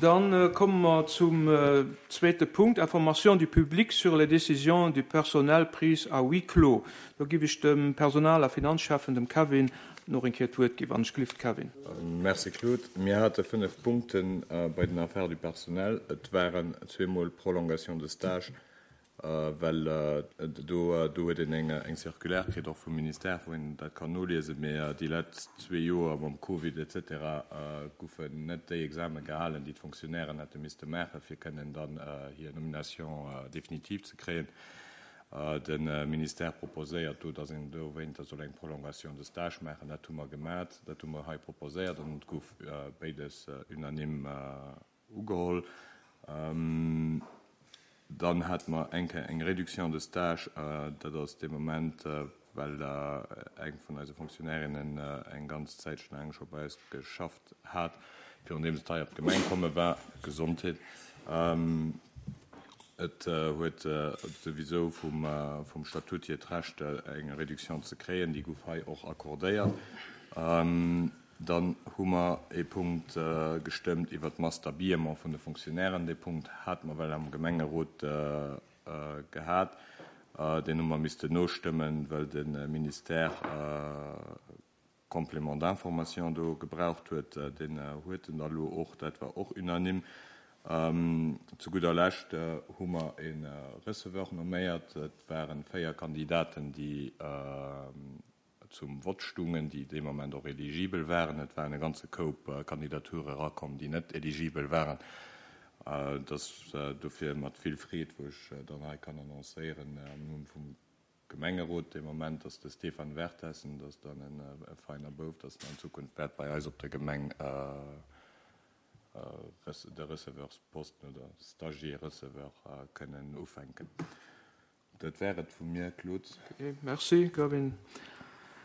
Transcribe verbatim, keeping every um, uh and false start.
Dann komme mer zum zweete Punkt, Information du public sur les décisions du personnel prises à huis clos. Do giff ech dem Personal a Finanzschäffen, dem Kevin, nach eng Kéier d'Wuert ginn. Wann ech gelift, Kevin. Merci, Claude. Mir hate fënnef Punkte bei den Affaires du personnel. Et waren zweemol Prolongation de stage, well do do huet een eng eng Circulaire kritt, och vum Ministère, wou een dat kann noliesen, mee déi letzt zwee Joer mam Covid et cetera goufen net déi Examen gehalen, déi d'Fonctionnairen hätte misste maachen, fir kënnen dann hir Nomination définitive ze kréien. De Ministère proposéiert do, dass een dowéinter soll eng Prolongation de stage maachen. Dat hu mer gemat, dat hu mer hei proposéiert an et gouf béides unanime ugeholl. Dann hate mer eng Kéier eng Réduction de stage, dat ass dee Moment, well eng vun eise Fonctionnairinnen eng ganz Zäitchen laang scho bei eis geschafft hat, virun deem se hei op d'Gemeng komme war. Gesondheet. Et huet souwisou vum, vum Statut hier d'Recht, eng Réduction ze kréien, déi gouf hei och accordéiert. Dann hu mer ee Punkt gestëmmt iwwert d'Masse d'habillement vun de Fonctionnairen. Dee Punkt hate mer well am Gemengerot gehat. Deen hu mer missten nostëmmen, well de Ministère Complément d'information do gebraucht huet. Deen huet en da lo och. Dat war och unanime. Zu gudder Lescht hu mer e Receveur nomméiert. Et waren véier Kandidaten, déi zum Vott stungen, déi dee Moment och eligibel waren. Et waren e ganze Koup Kandidature erakomm, déi net eligibel waren. Et ass dofir mat vill Freed, wou ech dann hei kann annoncéieren am Numm vum Gemengerot dee Moment, dass de Stéphane Vertessen, dat ass dann e feiner Bouf, dass en an Zukunft wäert bei eis op der Gemeng de Receveursposten oder Stagiaire-Receveur kënnen ufänken. Dat wär et vu mir, Claude. Ok, merci Gavin.